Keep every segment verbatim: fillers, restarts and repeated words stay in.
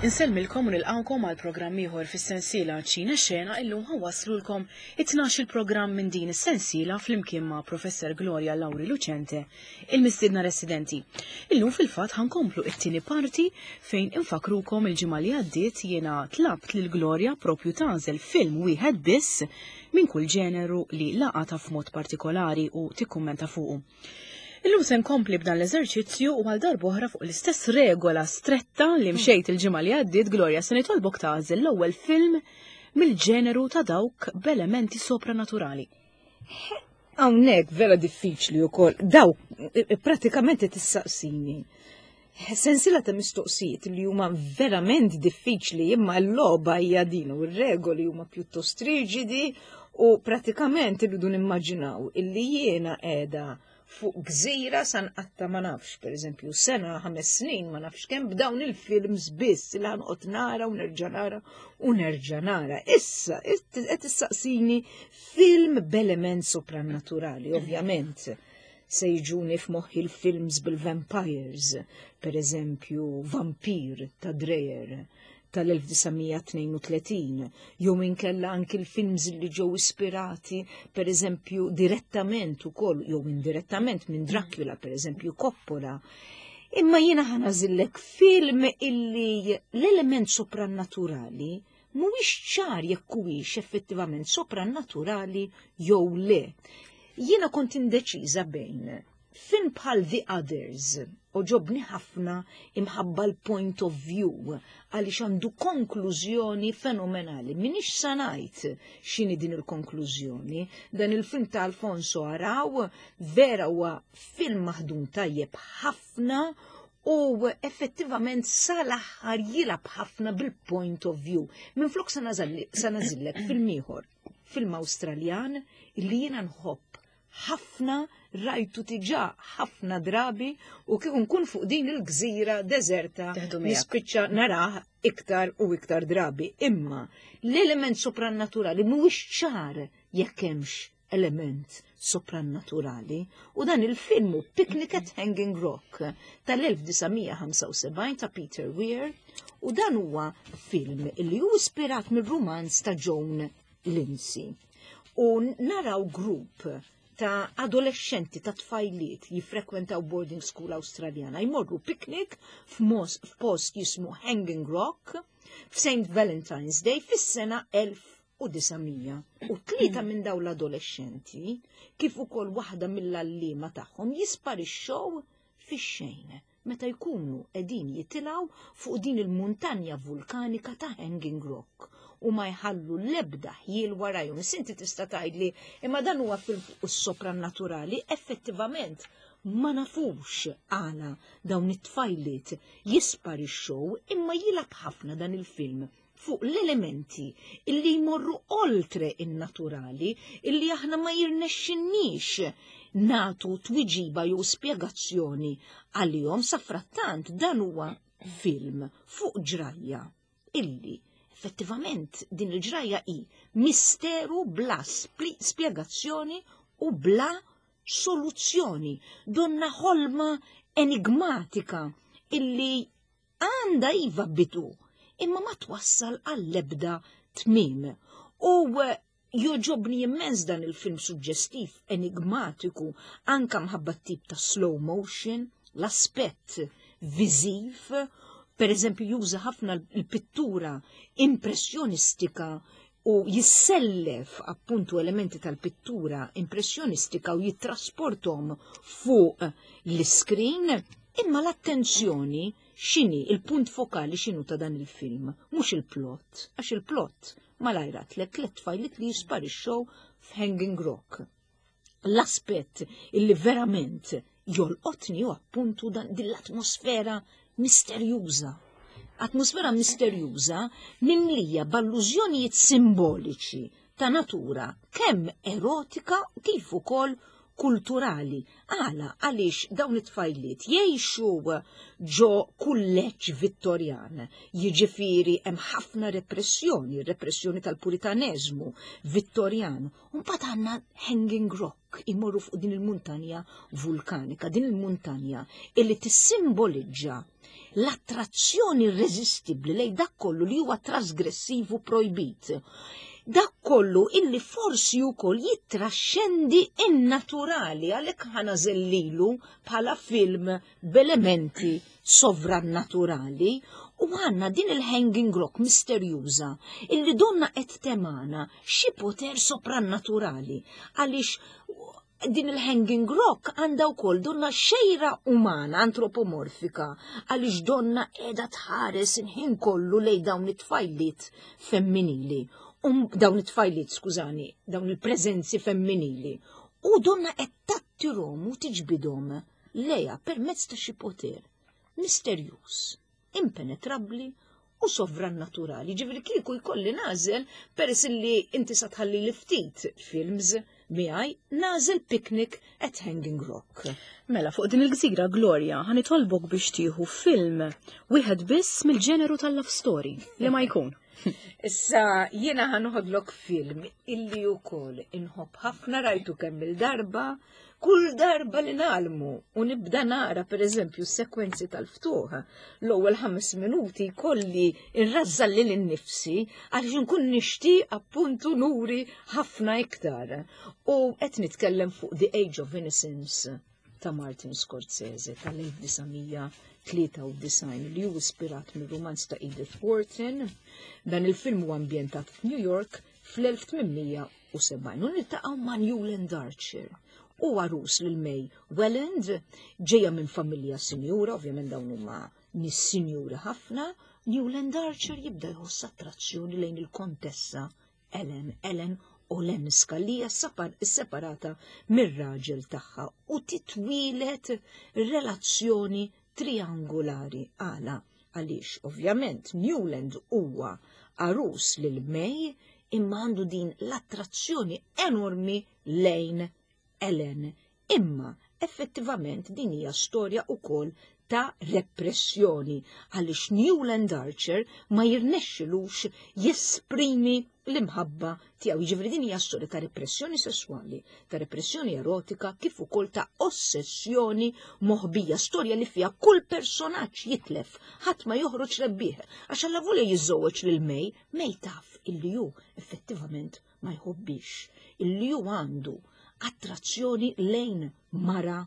Insellmilkom u nilqawkom għal programm ieħor fis-sensiela Ċina Xena. Illum ħa nwasslulkom it-tnax il-programm minn din is-sensiela flimkien ma' Professor Gloria Lauri Lucente, il-mistiedna residenti. Illum fil-fatt ħa nkomplu it-tieni parti fejn infakrukom il-ġimgħa li għaddiet jiena tlabt lil Gloria propju tagħżel film wieħed biss minn kull ġeneru li laqata f'mod partikolari u tikkummenta fuqu. Illum se nkompli b'dan l-eżerċizzju u għal darb'oħra fuq l-istess regola stretta li mxejt il-ġimgħa li għaddiet, Gloria, se nitolbok tagħżel l-ewwel film mill-ġeneru ta' dawk b'elementi sopranaturali. Hawnhekk vera diffiċli wkoll. Daw pratikament tissaqsini sensiela ta' mistoqsijiet li huma verament diffiċli, imma l-logħba hija din u r-regoli huma pjuttost riġidi u pratikament irridu nimmaġinaw illi jiena qiegħda fuq gżira sa nqatta', ma nafx, per eżempju, sena, ħames snin, ma nafx kemm, b'dawn il-films biss li ħa noqgħod nara u nerġa' nara u nerġa' nara. Issa, qed issaqsini film b'element soprannaturali, ovvjament. Se jiġuni f'moħħi l-films bil-vampires, per eżempju, Vampir ta' Dreyer tal-elf disa' mija tnejn u tletin, jew inkella anki l-films li ġew ispirati, per eżempju, direttament ukoll jew indirettament minn Dracula, per eżempju, Coppola. Imma jiena ħa nagħżillek film illi l-element soprannaturali mhuwiex ċar jekk huwiex effettivament soprannaturali jew le. Jiena kont indeċiża bejn film bħal The Others, għoġobni ħafna imħabba l-point of view, għaliex għandu konklużjoni fenomenali. M'iniex sa ngħid x'inhi din il-konklużjoni. Dan il-film ta' Alfonso Arau vera huwa film maħdum tajjeb ħafna u effettivament sal-aħħar jilgħab ħafna bil-point of view. Minn flok sa nagħżillek film ieħor, film Awstraljan illi jiena nħobb ħafna, rajtu diġà ħafna drabi u kieku nkun fuq din il-gżira deserta Teħdu miegħek. Nispiċċa narah iktar u iktar drabi. Imma l-element soprannaturali mhuwiex ċar jekk hemmx element soprannaturali u dan il-film hu Picnic at Hanging Rock tal-elf disa' mija ħamsa u sebgħin ta' Peter Weir u dan huwa film li hu ispirat mir-rumanz ta' Joan Lindsay. U naraw grupp ta' adolescenti, ta' tfajliet jifrekwentaw boarding school Awstraljana jmorru picnic f'mos- f'post jismu Hanging Rock f'Saint Valentine's Day fis-sena elf u disa' mija. U tlieta minn dawn l-adolescenti, kif ukoll waħda mill-għalliema tagħhom, jisparixxew fix-xejn meta jkunu qegħdin jitilgħu fuq din il-muntanja vulkanika ta' Hanging Rock u ma jħallu l-ebda ħjiel warajhom. Inti tista' tgħidli imma dan huwa film soprannaturali, effettivament ma nafux għala dawn it-tfajliet jisparixxew, imma jilgħab ħafna dan il-film fuq l-elementi illi jmorru oltre in-naturali, illi aħna ma jirnexxinniex nagħtu twiġiba jew spjegazzjoni għalihom. Safrattant dan huwa film fuq ġrajja illi effettivament din il-ġrajja hi misteru bla spli- spjegazzjoni u bla soluzzjoni, donna ħolma enigmatika illi għandha iva bidu imma ma twassal għall-ebda tmim. U eh, jogħġobni immens dan il-film suġġestiv, enigmatiku, anka mħabba tip ta' slow motion, l-aspett viżiv, per eżempju juża ħafna l-pittura impressjonistika u jissellef appuntu elementi tal-pittura impressjonistika u jittrasportahom fuq l-screen, imma l-attenzjoni x'inhi, il-punt fokali x'inhu ta' dan il-film, mhux il-plot, għax il-plot malajr għedtlek, tliet tfajliet li jisparixxew f'Hanging Rock. L-aspett illi verament jolqotni u appuntu dan din l-atmosfera misterjuża. Atmosfera misterjuża mimlija b'allużjonijiet simboliċi ta' natura kemm erotika kif ukoll kulturali. Għala? Għaliex dawn it-tfajliet jgħixu ġo kulleġġ Vittorjan. Jiġifieri hemm ħafna repressjoni, repressjoni tal-puritaneżmu Vittorjan. U mbagħad għandna Hanging Rock, imorru fuq din il-muntanja vulkanika, din il-muntanja illi tissimbolizza L-attrazzjoni irreżistibbli lejn dak kollu li huwa trasgressiv u projbit. Dak kollu illi forsi wkoll jittraxxendi in-naturali, għalhekk ħa nagħżel lilu bħala film b'elementi sovrannaturali. U għandna din il-Hanging Rock misterjuża illi donna qed temana xi poter soprannaturali, għaliex din il-Hanging Rock għandha wkoll donna xejra umana antropomorfika, għaliex donna qiegħda tħares il-ħin kollu lejn dawn it-tfajliet femminili. Um, dawn it-tfajliet, skużani, dawn il-preżenzi femminili. U donna qed tattirhom u tiġbidhom lejha permezz ta' xi poter misterjuż, impenetrabbli u sovrannaturali. Ġifieri kieku jkolli nagħżel, peress li inti sa tħalli li ftit films miegħi, nagħżel Picnic at Hanging Rock. Mela, fuq din il-gżira, Gloria, ħa nitolbok biex tieħu film wieħed biss mill-ġeneru tal-love story li ma jkun. Issa jiena ħa noħodlok film illi wkoll inħobb ħafna, rajtu kemm il-darba, kull darba li nagħlqu u nibda nara per eżempju s-sekwenzi tal-ftuħ, l-ewwel ħames minuti kolli irrażżan lili nnifsi għaliex nkun nixtieq appuntu nuri ħafna iktar. U qed nitkellem fuq The Age of Innocence ta' Martin Scorsese tal-elf disa' mija tlieta u disgħin, li hu ispirat mir-romanz ta' Edith Wharton. Dan il-film huwa ambjentat f'New York fl-elf tmien mija u sebgħin u niltaqgħu ma' Newland Archer, u għarus lil May Welland, ġeja minn familja sinjura, ovvjament dawn huma nies sinjura ħafna. Newland Archer jibda jħoss attrazzjoni lejn il-kontessa Ellen, Ellen Olenska, li hija separata mir-raġel tagħha, u titwieled relazzjoni triangolari. Għala? Għaliex ovvjament Newland huwa għarus lil May, imma għandu din l-attrazzjoni enormi lejn Ellen. Imma effettivament din hija storja ukoll ta' repressjoni, għaliex Newland Archer ma jirnexxilux jesprimi l-imħabba tiegħu. Jiġifieri din hija storja ta' repressjoni sessuali, ta' repressjoni erotika, kif ukoll ta' ossessjoni moħbija, storja li fiha kull personaġġ jitlef, ħadd ma joħroġ rebbieħ, għax allavolja jiżżewweġ lil May, May taf illi hu effettivament ma jħobbix, illi hu għandu attrazzjoni lejn mara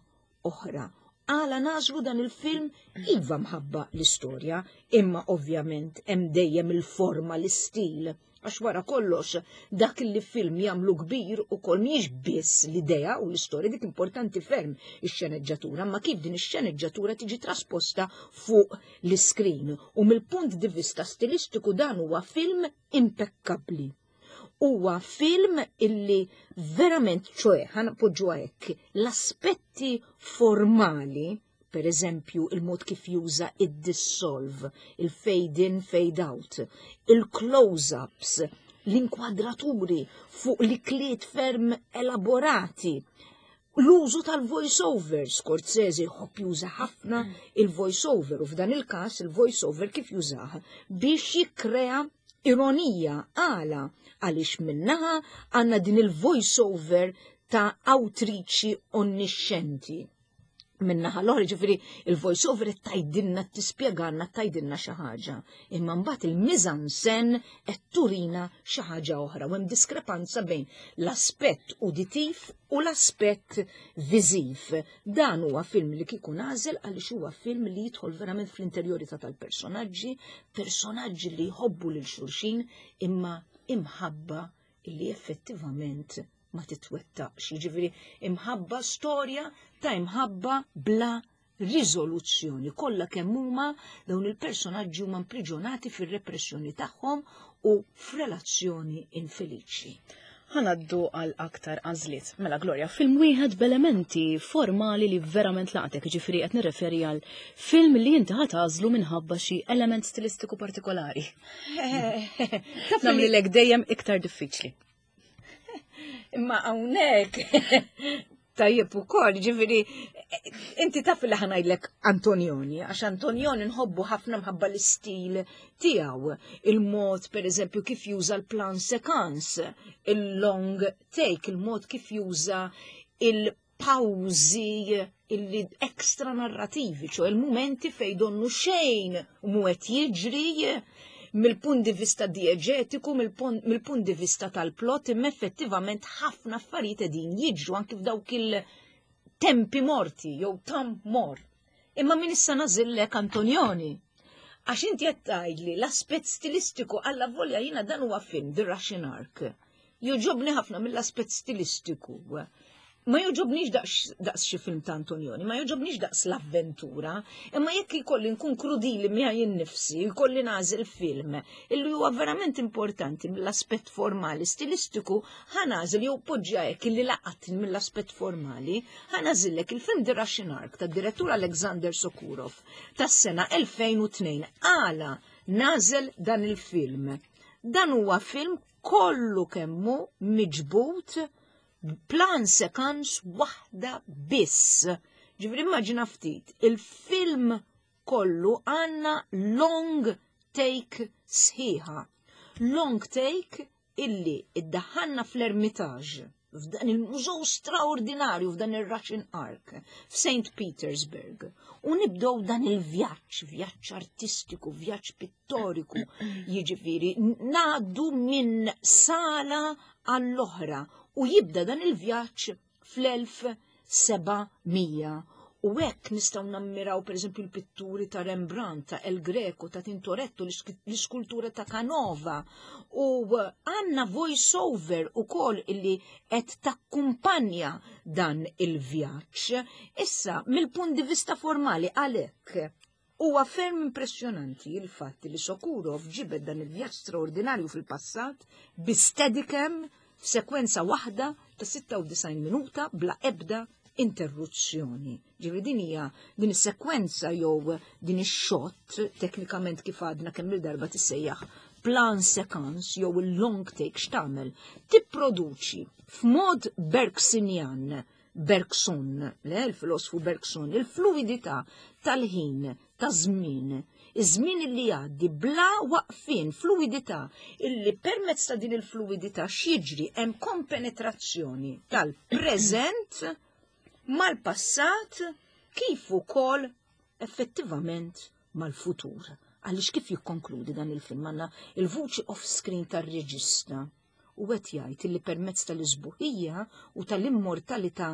oħra. Għala nagħżlu dan il-film? Iva, mħabba l-istorja, imma ovvjament hemm dejjem il-forma, l-istil. Għax wara kollox dak li film jagħmlu kbir ukoll mhijiex biss l-idea u l-istorja, dik importanti ferm ix-xeneġġatura, ma kif din ix-xeneġġatura tiġi trasposta fuq l-iskrin. U mill-punt di vista stilistiku dan huwa film impeccabli. Huwa film illi verament, ċoe, ħa npoġġu hekk, l-aspetti formali, per eżempju, il-mod kif juża id-dissolve, il-fade in, fade out, il-close-ups, l-inkwadraturi fuq l-ikliet ferm elaborati, l-użu tal-voice-over. Scorsese jħobb juża ħafna il-voice-over, u f'dan il-kas il-voice-over kif jużah biex jikkrea ironija. Għala? Għaliex min-naħa għandna din il-voice-over ta' awtriċi onniscenti. Min-naħa l-oħra, ġifieri il-voice-over tgħidilna, tispjegalna, tgħidilna xi ħaġa. Imma mbagħad il-mise-en-scène qed turina xi ħaġa oħra u hemm diskrepanza bejn l-aspett uditiv u l-aspett viżiv. Dan huwa film li kieku nagħżel għaliex huwa film li jidħol verament fl-interjorità tal-personaġġi, personaġġi li jħobbu lil xulxin, imma imħabba li effettivament ma titwettaqx. Jiġifieri imħabba, storja ta' imħabba bla riżoluzzjoni. Kollha kemm huma dawn il-personaġġi huma impriġonati fir-repressjoni tagħhom u f'relazzjoni infeliċi. Ħa ngħaddu għal aktar għażliet. Mela Gloria, film wieħed b'elementi formali li verament laqtek, ġifieri qed nirreferi għal film li inti ħa tagħżlu minħabba xi element stilistiku partikolari. Nagħmlilek dejjem iktar diffiċli. Imma hawnhekk tajjeb ukoll, ġifieri inti taf li ħa ngħidlek Antonioni, għax Antonioni nħobbu ħafna mħabba l-istil tiegħu, il-mod per eżempju kif juża l-plan séquence, il-long take, il-mod kif juża il pawzi illi ekstra narrativi, ċoè il-momenti fej donnu xejn mhu qed jiġri mill-punt di vista dieġetiku, mill-punt di vista tal-plot, imma effettivament ħafna affarijiet qegħdin jiġru anki f'dawk il-tempi morti jew temps mort. Imma min issa nagħżillek Antonioni. Għax inti qed tgħidli l-aspett stilistiku, alla volja jiena dan huwa film, The Russian Ark. Jogħġobni ħafna mill-aspett stilistiku. Ma jogħġobnix daqs xi film ta' Antonioni, ma jogħġobnix daqs l-avventura, imma jekk jkolli nkun krudili miegħi nnifsi, jkolli nagħżel film illi huwa verament importanti mill-aspett formali stilistiku, ħa nagħżel jew poġġa hekk illi laqatni mill-aspett formali, ħa nagħżillek il-film The Russian Ark tad-direttur Alexander Sokurov tas-sena elfejn u tnejn. Għala nagħżel dan il-film? Dan huwa film kollu kemmu miġbut plan séquence waħda biss. Ġifieri immaġina ftit, il-film kollu għandna long take sħiħa. Long take illi iddaħħalna fl-Ermitage, f'dan il-mużew straordinarju, f'dan il-Russian Ark, f'Saint Petersburg. U nibdow dan il-vjaġġ, vjaġġ artistiku, vjaġġ pittoriku, jiġifieri ngħaddu minn sala għall-oħra u jibda dan il-vjaġġ fl-elf seba' mija. U hekk nistgħu nammiraw, per eżempju, l-pitturi ta' Rembrandt, ta' El Greco, ta' Tintoretto, l-iskultura ta' Canova. U għandna voice-over ukoll illi qed takkumpanja dan il-vjaġġ. Issa, mill-punt di vista formali, għalhekk huwa ferm impressjonanti il-fatt li Sokurov ġibed dan il-vjaġġ straordinarju fil-passat bi steadicam f'sekwenza waħda ta' sitta u disgħin minuta bla ebda interruzzjoni. Ġifieri din hija din is-sekwenza jew din ix-shot, teknikament kif għadna kemm il-darba tissejjaħ plan séquence jew il-long take, x'tagħmel? Tipproduċi f'mod Bergsonjan, Bergson, le, il-filosfu Bergson, il-fluidità tal-ħin, ta' żmien, iż-żmien illi jgħaddi bla waqfin, fluidità illi permezz ta' din il-fluidità x'jiġri? Hemm kompenetrazzjoni tal-preżent mal-passat kif ukoll effettivament mal-futur. Għaliex kif jikkonkludi dan il-film, għandna il-vuċi off-screen tar-reġista u qed jgħid li permezz tal-isbuħija u tal-immortalità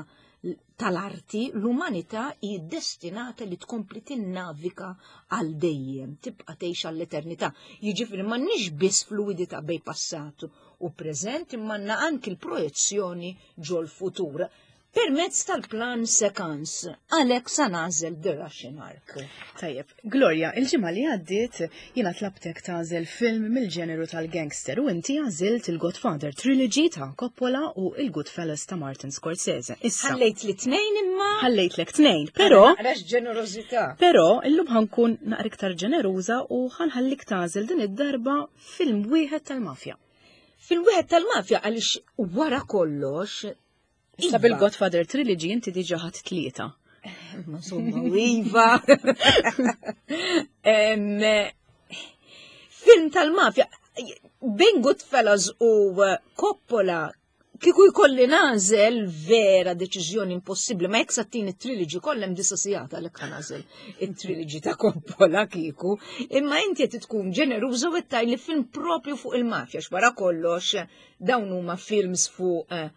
tal-arti l-umanità hi destinata li tkompli tinnavika għal dejjem, tibqa' tgħix għall-eternità. Jiġifieri m'għandniex biss fluidità bejn passat u preżent, imma għandna anki l-projezzjoni ġol-futur permezz tal-plan séquence. Għalhekk sa nagħżel The Russian Ark. Tajjeb, Gloria, il-ġimgħa li għaddiet jiena tlabtek tagħżel film mill-ġeneru tal-gangster u inti għażilt il-Godfather Trilogy ta' Coppola u il-Goodfellas ta' Martin Scorsese. Issa. Ħallejt li tnejn imma. Ħallejtlek tnejn, però. Għax ġenerożità. Però illum ħa nkun naqra iktar ġeneruża u ħa nħallik tagħżel din id-darba film wieħed tal-mafja. Film wieħed tal-mafja għaliex wara kollox Issa, Iva. bil-Godfather Trilogy inti diġa ħadt tlieta. Ma insomma, iva. Em, film tal-mafja, bejn Goodfellas u eh, Coppola, kieku jkolli nagħżel, vera deċiżjoni impossibbli, ma jekk sattini it-trilogy kollha hemm disa' sigħat, għalhekk ħa nagħżel it-trilogy ta' Coppola kieku. Imma inti qed tkun ġeneruża u li film propju fuq il-mafja, x'wara kollox dawn huma films fuq eh,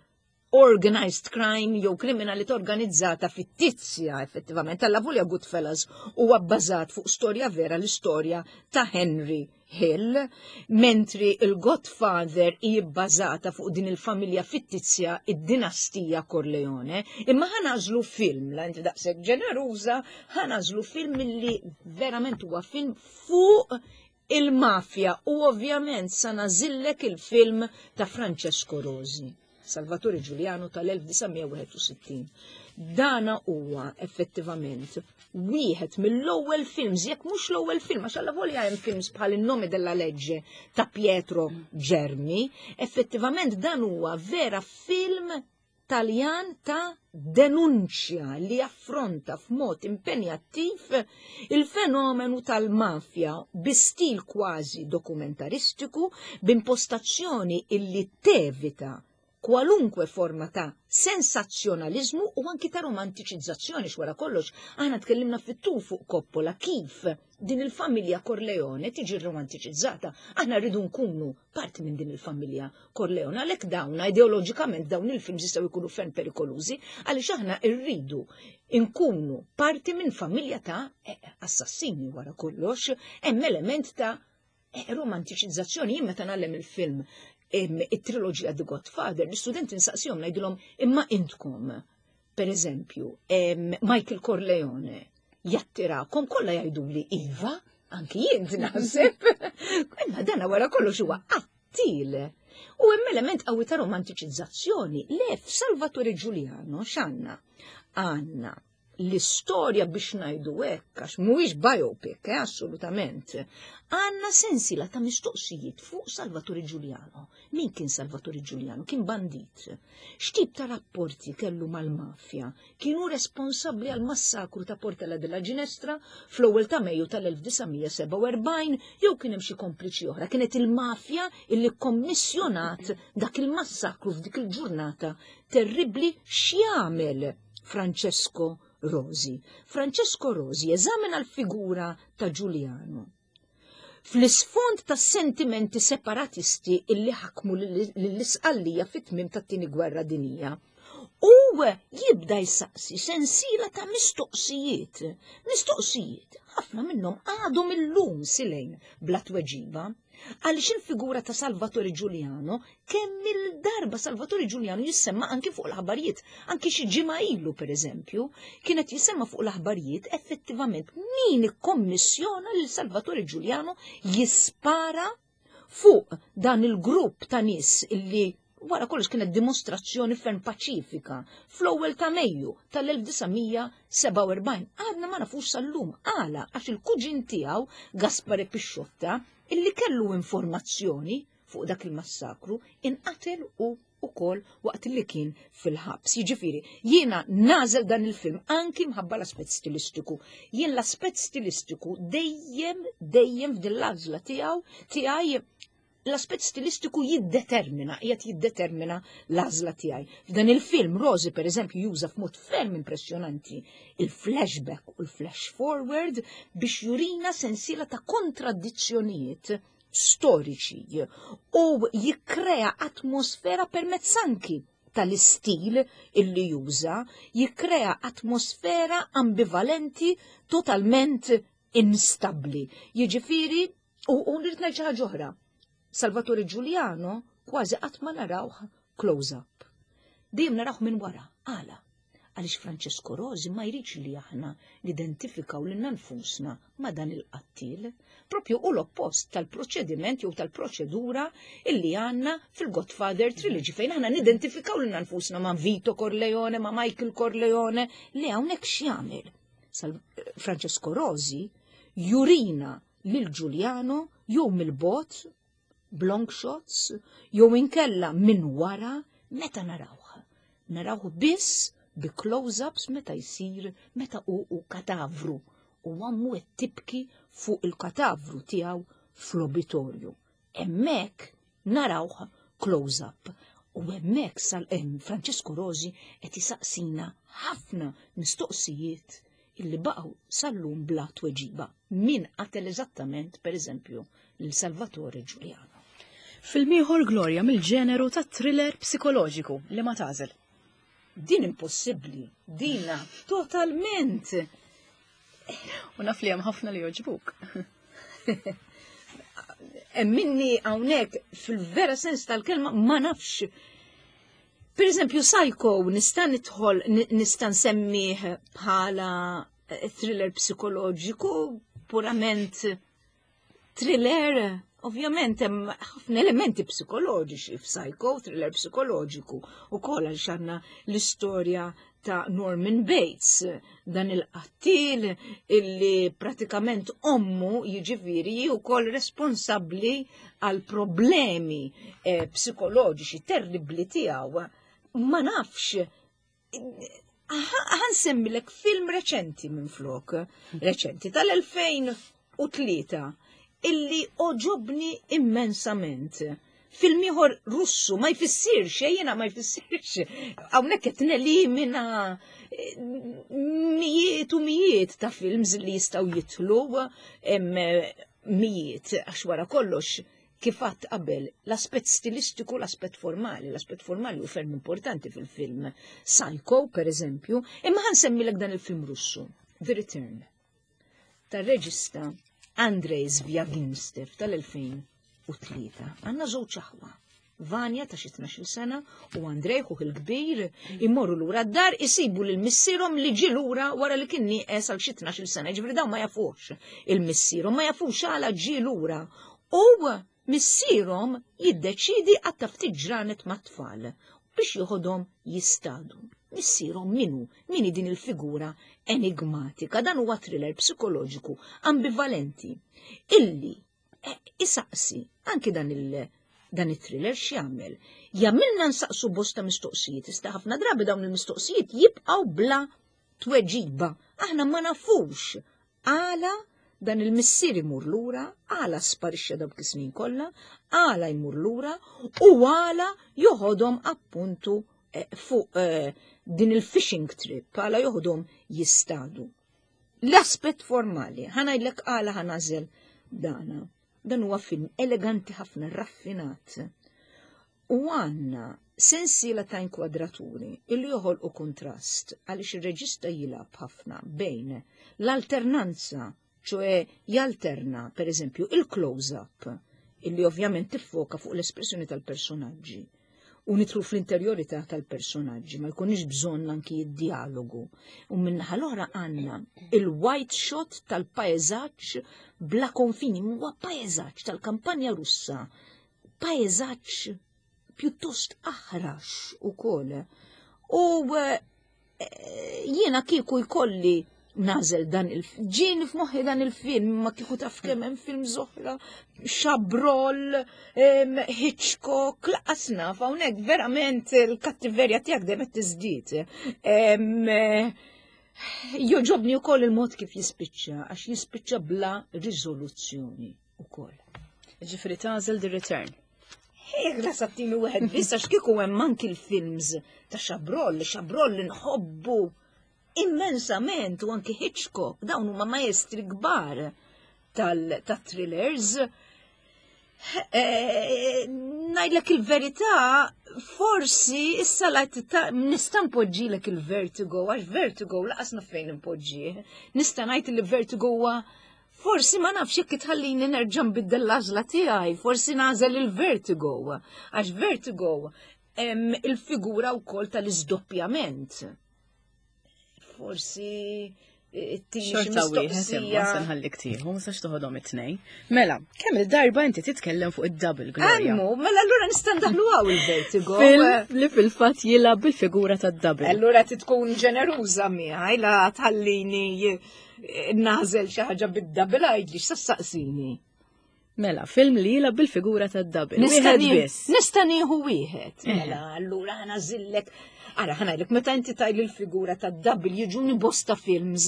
organized crime jew kriminalità organizzata fittizja effettivament. Alla volja Goodfellas huwa bbażat fuq storja vera, l-istorja ta' Henry Hill, mentri il-Godfather hi bbażata fuq din il-familja fittizja, id-dinastija Corleone. Imma ħa nagħżlu film, la inti daqshekk ġeneruża, ħa nagħżlu film illi verament huwa film fuq il-mafja u ovvjament sa nagħżillek il-film ta' Francesco Rosi, Salvatore Giuliano tal-elf disa' mija wieħed u sittin. Dana huwa effettivament wieħed mill-ewwel films, jekk mhux l-ewwel film, għax alla volja hemm films bħal Il nome della legge ta' Pietro Germi, effettivament dan huwa vera film Taljan ta' denunċja li affronta f'mod impenjattiv il-fenomenu tal-mafja bi stil kważi dokumentaristiku, b'impostazzjoni illi tevita Kwalunkwe forma ta' sensazzjonalizmu u anki ta' romantiċizzazzjoni. X'wara kollox aħna tkellimna fit-tul fuq Coppola, kif din il-familja Corleone tiġi romantiċizzata. Aħna rridu nkunu parti minn din il-familja Corleone, għalhekk dawn ideoloġikament dawn il-films jistgħu jkunu ferm perikolużi, għaliex aħna rridu nkunu parti minn familja ta' assassini. Wara kollox hemm element ta' romantiċizzazzjoni. Jien meta nagħllem il-film, it-triloġija The Godfather, l-istudenti nsaqsihom, ngħidilhom: "Imma intkom, per eżempju, Michael Corleone jattirakom?" Kollha jgħidu li iva, anki jien naħseb. Imma dana wara kollox huwa qattil. U hemm element qawwi ta' romantiċizzazzjoni. Le, f'Salvatore Giuliano x'għandna? Għandna l-istorja, biex ngħidu hekk, għax mhuwiex biopic, eh, assolutament. Għandna sensiela ta' mistoqsijiet fuq Salvatore Giuliano. Min kien Salvatore Giuliano? Kien bandit. X'tip ta' rapporti kellu mal-mafja? Kienu responsabbli għal massakru ta' Portella della Ginestra fl-ewwel ta' Mejju tal-elf disa' mija sebgħa u erbgħin jew kien hemm xi kompliċi oħra? Kienet il-mafja illi kommissjonat dak il-massakru f'dik il-ġurnata terribbli? X'jagħmel Francesco Rosi? Francesco Rosi eżamina l-figura ta' Giuliano fl-isfond ta' sentimenti separatisti illi ħakmu l-Isqallija fit-tmim tat-Tieni Gwerra Dinija. U jibda jsaqsi sensiela ta' mistoqsijiet. Mistoqsijiet, ħafna minnhom għadhom illum silejn bla tweġiba. Għaliex il-figura ta' Salvatore Giuliano, kemm il-darba Salvatore Giuliano jissemma anki fuq l-aħbarijiet, anki xi ġimgħa ilu, per eżempju, kienet jissemma fuq l-aħbarijiet, effettivament min ikkommissjona lil Salvatore Giuliano jispara fuq dan il-grupp ta' nies illi wara kollox kienet dimostrazzjoni ferm paċifika fl-ewwel ta' Mejju tal-elf disa' mija sebgħa u erbgħin? Għadna ma nafux sal-lum għala, għax il-kuġin tiegħu Gaspare Pisciotta, illi kellu informazzjoni fuq dak il-massakru, inqatel u ukoll waqt li kien fil-ħabs. Jiġifieri, jiena nagħżel dan il-film anki mħabba l-aspett stilistiku. Jien l-aspett stilistiku dejjem, dejjem f'din l-għażla tiegħu tiegħi l-aspett stilistiku jiddetermina, qiegħed jiddetermina l-għażla tiegħi. F'dan il-film Rosi, per eżempju, juża f'mod ferm impressjonanti il-flashback u l-flash forward biex jurina sensiela ta' kontradizzjonijiet storiċi u jikkrea atmosfera permezz anki tal-istil illi juża, jikkrea atmosfera ambivalenti, totalment instabli. Jiġifieri, u, u nrid ngħid xi ħaġa oħra. Salvatore Giuliano kważi qatt ma narawh close-up. Dejjem narawh minn wara. Għala? Għaliex Francesco Rosi ma jridx li aħna nidentifikaw lilna nfusna ma' dan il-qattil. Propju u l-oppost tal-proċediment jew tal-proċedura illi għandna fil-Godfather Trilogy, fejn aħna nidentifikaw lilna nfusna ma' Vito Corleone, ma' Michael Corleone, li hawnhekk x'jagħmel? Francesco Rosi jurina lil Giuliano jew mill-bogħod b'long shots jew inkella minn wara. Meta narawh? Narawh biss bi close-ups meta jsir, meta hu u katavru u ommu qed tibki fuq il-katavru tiegħu fl-obitorju. Hemmhekk narawh close-up u hemmhekk sal Francesco Rosi qed jisaqsina ħafna mistoqsijiet illi baqgħu sal-lum bla tweġiba. Min qatel eżattament, per eżempju, lil Salvatore Giuliano? Film ieħor, Gloria, mill-ġeneru ta' thriller psikoloġiku, li ma tagħżel? Din impossibbli, dina totalment. U naf li hemm ħafna li jogħġbuk. Minni hawnhekk fil-vera sens tal-kelma ma nafx. Per eżempju, Psycho nista' nidħol, nista' nsemmih bħala thriller psikoloġiku, purament thriller? Ovvjament hemm ħafna elementi psikoloġiċi f'Psycho, thriller psikoloġiku, ukoll għaliex għandna l-istorja ta' Norman Bates, dan il-qattil illi pratikament ommu, jiġifieri, wkoll responsabbli għal problemi eh, psikoloġiċi terribli tiegħu. Ma nafx, ħa nsemmilek film reċenti minn flok, reċenti tal-elfejn u tlieta, illi għoġobni immensament. Film ieħor Russu ma jfissirx, jiena ma jfissirx. Hawnhekk qed nelimina eh, mijiet u mijiet ta' films li jistgħu jitlu, mijiet, għax wara kollox, kif għedt qabel, l-aspett stilistiku, l-aspett formali, l-aspett formali hu ferm importanti fil-film. Psycho, per eżempju, imma ħa nsemmilek dan il-film Russu, The Return, tar-reġista Andrei Zvyagintsev tal-elfejn u tlieta. Għandna żewġ aħwa. Vanja ta' xi tnax-il sena u Andrej, ħuh il-kbir, immorru lura d-dar, isibu lil missierhom li ġie lura wara li kien nieqes għal xi tnax-il sena. Ġifieri dawn ma jafux il-missierhom, ma jafux għala ġie lura. U missierhom jiddeċidi għatta ftit ġranet mat-tfal biex joħodhom jistadu. Missierhom min hu? Min hi din il-figura enigmatika? Dan huwa thriller psikoloġiku ambivalenti illi eh, isaqsi anki dan il- dan it-thriller x'jagħmel? Jagħmilna nsaqsu bosta mistoqsijiet, issa ħafna drabi dawn il-mistoqsijiet jibqgħu bla tweġiba. Aħna ma nafux għala dan il-missier imur lura, għala sparixxa dawk is-snin kollha, għala jmur lura u għala joħodhom appuntu eh, fuq eh, din il-fishing trip, għala joħodhom jistadu. L-aspett formali, ħa ngħidlek għala ħa nagħżel dana. Dan huwa film eleganti ħafna, raffinat. U għandna sensiela ta' inkwadraturi illi joħolqu kontrast, għaliex ir-reġista jilgħab ħafna bejn l-alternanza, ċoè jalterna, per eżempju, il-close-up, illi ovvjament tiffoka fuq l-espressjoni tal-personaġġi u nidħlu fl-interjorità tal-personaġġi, ma jkunix bżonn anki id-dialogu. U min-naħa l-oħra għandna il-wide shot tal-paeżaġġ bla konfini, huwa paeżaġġ tal-kampanja Russa, paeżaġġ pjuttost aħrax ukoll. U eh, jiena kieku jkolli nagħżel dan il ġieni f'moħħi dan il-film, ma kieku taf kemm hemm film oħra, Chabrol, Hitchcock, lanqas naf, hawnhekk verament il-kattiverja tiegħek dejjem qed tiżdied. Jogħġobni wkoll il-mod kif jispiċċa, għax jispiċċa bla riżoluzzjoni ukoll. Ġifieri tagħżel The Return. Hekk la sattini wieħed biss, għax kieku hemm anki l-films ta' Chabrol, Chabrol li nħobbu immensament, u anki Hitchcock, dawn huma maestri kbar tal-thrillers. Eh, ngħidlek il-verità, forsi issa la nista' npoġġilek il-Vertigo, għax Vertigo lanqas naf fejn npoġġih. Nista' ngħid li Vertigo huwa, forsi, ma nafx jekk tħallini nerġa' nbiddel l-għażla tiegħi, forsi nagħżel il-Vertigo, għax Vertigo hemm il-figura wkoll tal-iżdoppjament. Forsi it-tini xi Xorta wieħed imma mistoqsija. se nħallik tieħu, ma sax toħodhom it-tnejn. Mela, kemm il-darba inti titkellem fuq id-double, Gloria? Emmu, mela allura nista' ndaħlu hawn il-Vertigo. Film li fil-fatt jilgħab bil-figura tad-double. Allura titkun ġeneruża miegħi la tħallini eh, nagħżel xi ħaġa bid-double, għidli x'saqsini. Mela, film li jilgħab bil-figura tad-double. Nista' Wieħed nie- biss. Nista' nieħu wieħed. Eħe. Mela, allura ħa nagħżillek. Ara, ħa ngħidlek, meta inti tgħidli l-figura tad-double jiġuni bosta films.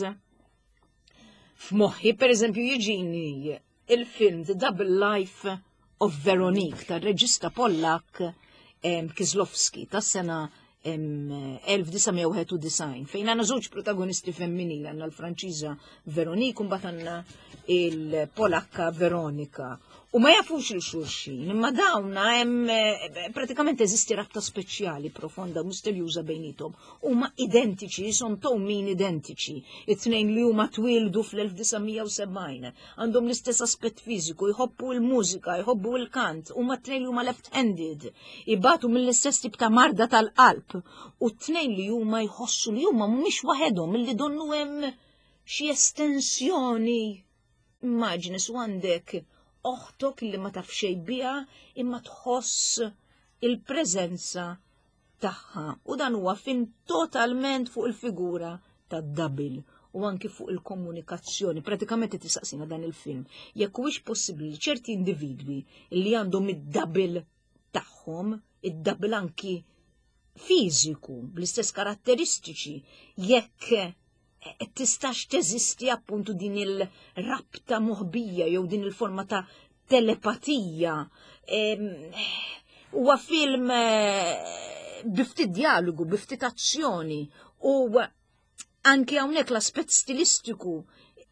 F'moħħi, per eżempju, jiġini il-film The Double Life of Veronique tar-reġista Pollak em, Kieślowski tas-sena em, elf disa' mija wieħed u disgħin, fejn għandna żewġ protagonisti femminili, għandna l-Franċiża Veronique u mbagħad għandna il-Polakka Veronika. U ma jafux lil xulxin, imma dawna hemm eh, pratikament eżisti rabta speċjali, profonda, misterjuża bejniethom. Huma identiċi, son towmin identiċi. It-tnejn li huma twildu fl-elf disa' mija u sebgħin, għandhom l-istess aspett fiżiku, jħobbu l-mużika, jħobbu l-kant, huma t-tnejn li huma left-handed, ibatu mill-istess tip ta' marda tal-qalb. U t-tnejn li huma jħossu li huma mhumiex waħedhom, li donnu hemm xi estensjoni. Immaġini su għandek oħtok li ma taf xejn biha imma tħoss il-preżenza tagħha. U dan huwa film totalment fuq il-figura tad-double u anki fuq il-komunikazzjoni. Pratikament tisaqsina dan il-film jekk huwiex possibbli li ċerti individwi li għandhom id-double tagħhom, id-double anki fiżiku, bl-istess karatteristiċi, jekk eh, tistax teżisti appuntu din il-rabta moħbija jew din il-forma ta' telepatija. Em, Huwa film eh, bi ftit dialogu, bi ftit azzjoni u anki hawnhekk l-aspett stilistiku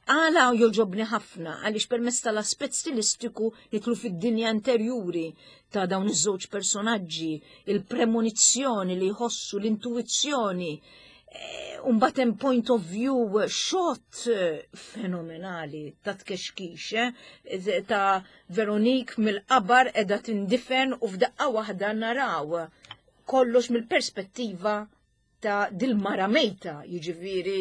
għala joġobni ħafna għaliex permezz tal-aspett stilistiku nidħlu fid-dinja interjuri ta' dawn iż-żewġ personaġġi, il-premonizzjoni li jħossu, l-intuizzjoni, Umbagħad hemm point of view shot eh, fenomenali ta' tkexkix, eh, ta' Veronique mill-qabar edha tindifen u f'daqqa waħda naraw kollox mill-perspettiva ta' dil-mara mejta, jiġifieri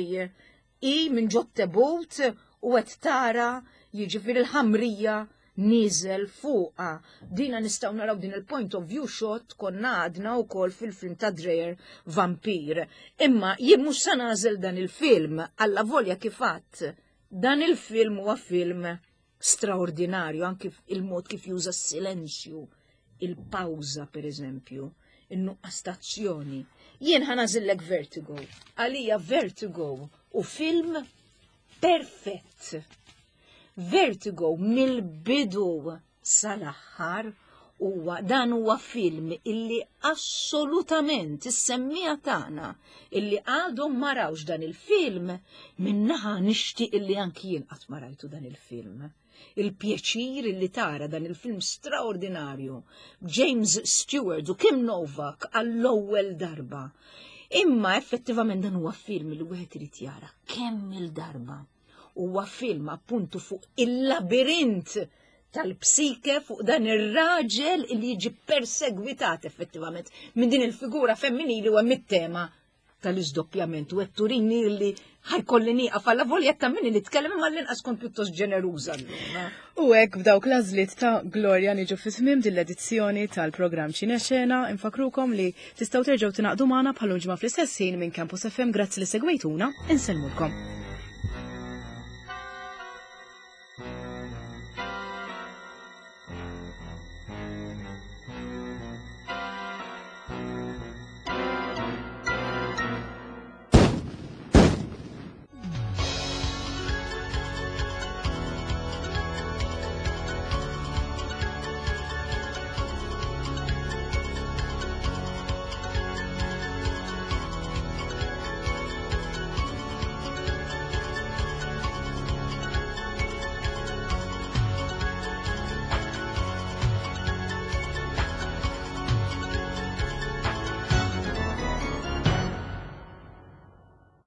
i minn ġot-tebut u qed tara jiġifieri l-ħamrija nieżel fuqha. Dina nistgħu naraw din il-point of view shot konna għadna wkoll fil-film ta' Dreyer Vampir. Imma jien mhux sa nagħżel dan il-film alla volja kif għedt. Dan il-film huwa film straordinarju anki il-mod kif juża s-silenzju, il-pawża per eżempju, in-nuqqas t'azzjoni. Jien ħa nagħżillek Vertigo. Għalija Vertigo hu film perfett. Vertigo mill-bidu sal-aħħar huwa dan huwa film illi assolutament is-semmiegħa tagħna illi għadhom ma rawx dan il-film minnaħa nixtieq illi anki jien qatt ma rajtu dan il-film. Il-pjaċir illi tara dan il-film straordinarju James Stewart u Kim Novak għall-ewwel darba. Imma effettivament dan huwa film li wieħed irid jara kemm il-darba. Huwa film appuntu fuq il-labirint tal-psike fuq dan ir-raġel li jiġi persegwitat effettivament minn din il-figura femminili u hemm it-tema tal-iżdoppjament u turini li ħa jkolli nieqaf alla volja ta' minni nitkellem imma l-inqas kont pjuttost ġeneruża llum. eh. U hekk b'dawk l-għażliet ta' Gloria niġu fi tmiem din l-edizzjoni tal-programm Ċinexena, infakrukom li tistgħu terġgħu tingħaqdu magħna bħal ġimgħa fl-istess ħin minn Campus F M. Grazzi li segwejtuna, insellmulkom.